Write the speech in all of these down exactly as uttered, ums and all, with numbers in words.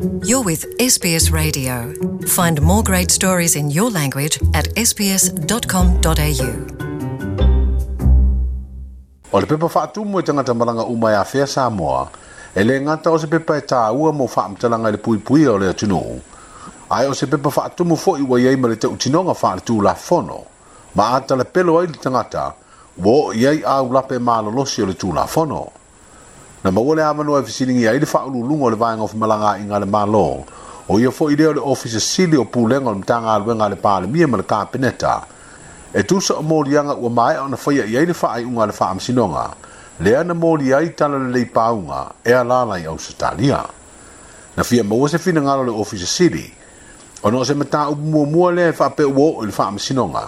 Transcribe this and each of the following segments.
You're with S B S Radio. Find more great stories in your language at S B S dot com dot A U. O le pepa faatumu e tagata malaga uma e afea Samoa, e le gata o se pepa e tāua mo faamatalaga i le puipuia o le atunuu. Ae o se pepa faatumu foi ua iai ma le tautinoga faaletulafono. Ma a talapelo ai le tagata, ua oo i ai aulape malolosi o le tulafono. Na maua le avanoa e fesiligia ai le faauluuluga o le Vaega o Femalagaaiga a le Malo, o ia foi lea o le Ofisa Sili o Pulega o le Matagaluega a le Palemia ma le Kapeneta, e tusa o moliaga ua maea ona faia i ai le faaiuga a le faamasinoga, lea na molia ai tala lelei pauga e alala i Ausetalia. Na fia maua se finagalo le Ofisa Sili, ona o se mataupu muamua lea e faapea ua oo i le faamasinoga,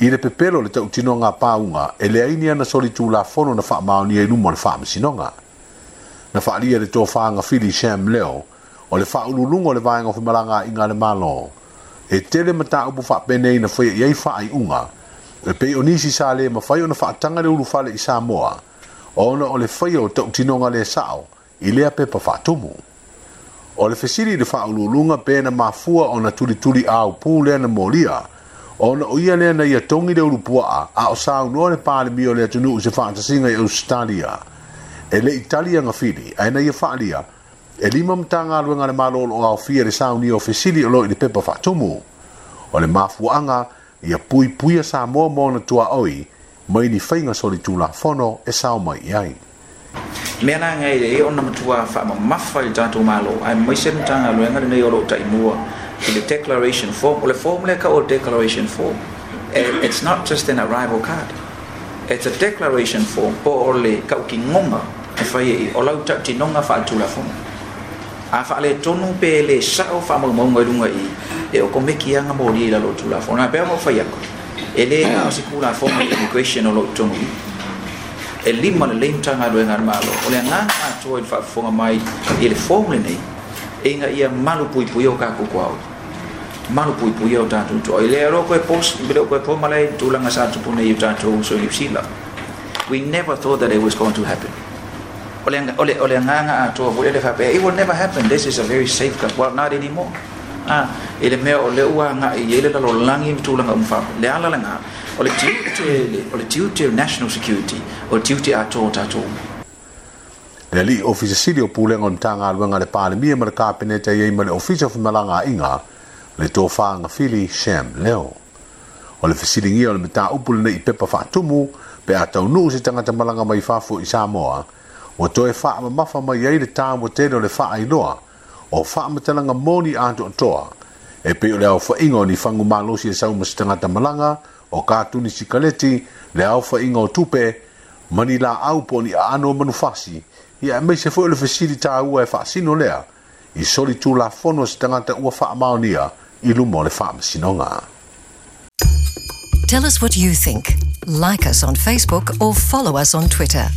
i le pepelo o le tautinoga pauga e leai ni ana solitulafono na faamaonia i luma o le faamasinoga. Na faaalia le tofa Gafili Sam Leo, o le faauluuluga o le Vaega o Femalagaaiga a le Malo, e tele mataupu faapenei na faia i ai faaiuga, e pei o nisi sa le mafai ona faataga le ulufale i Samoa, ona o le faia o tautinoga le sao i lea pepa faatumu. O le fesili i le faauluuluga pe na mafua ona tulituli aupu lea na molia, ona o ia lea na ia togi le ulupuaa a o saunoa le Palemia o le atunuu se faatasiga i Australia. E le i tali Agafili, ae na ia faalia, e lima Matagaluega a le Malo o lo o aofia le saunia o fesili o lo i le pepa faatumu. O le mafuaaga ia puipuia Samoa ma ona tuaoi mai ni faiga solitulafono e sao mai i ai. Mea la ngai le ona matua faamamafa i le tatou Malo aemaise le Matagaluega lenei o loo taimua i le declaration form. O le form lea ka o declaration form, it's not just an arrival card, it's a declaration form, po o le kaukinoga e fai i o lau tautinoga faaletulafono. A faaletonu pe le sao faamaumauga i luga i e o komeki aga moli i lalo o tulafono a pea ma fai aku e le na o se tulafono immigration o loo i totonu i e lima lelei Matagaluega a le Malo. O le agaga atoa i le faafofoga mai i le form lenei ina ia malu puipuia o tatou tuaoi, malu puipuia o tatou tuaoi lea lo koe pos le koe po malai tulaga sa tupu nei o tatou uso i New Zealand. We never thought that it was going to happen. O le o le o le agaga atoa foi le faapea it will never happen, this is a very safe country. Well, not anymore. Ah, i le mea o le ua agai i ai le lalolagi ma tulaga uma faa le ala lena o le tiute, o le tiute national security, o le tiute atoa o tatou. Le alii Ofisa Sili o Pulega o le Matagaluega a le Palemia ma le Kapeneta i ai ma le Ofisa o Femalagaaiga, le tofa Gafili Sam Leo. O le fesiligia o le mataupu lenei i pepa faatumu pe a taunuu se tagata malaga mai fafo i Samoa, ua toe faamamafa mai ai le taua tele o le faailoa o faamatalaga moni atoatoa e pei o le aofaiga o ni fagu malosi e sau ma se tagata malaga, o katuni sikaleti, le aofaiga o tupe, ma ni laau po o ni aano o manufasi, ia aemaise foi o le fesili taua e faasino lea i solitulafono se tagata ua faamaonia i luma o le faamasinoga. Tell us what you think. Like us on Facebook or follow us on Twitter.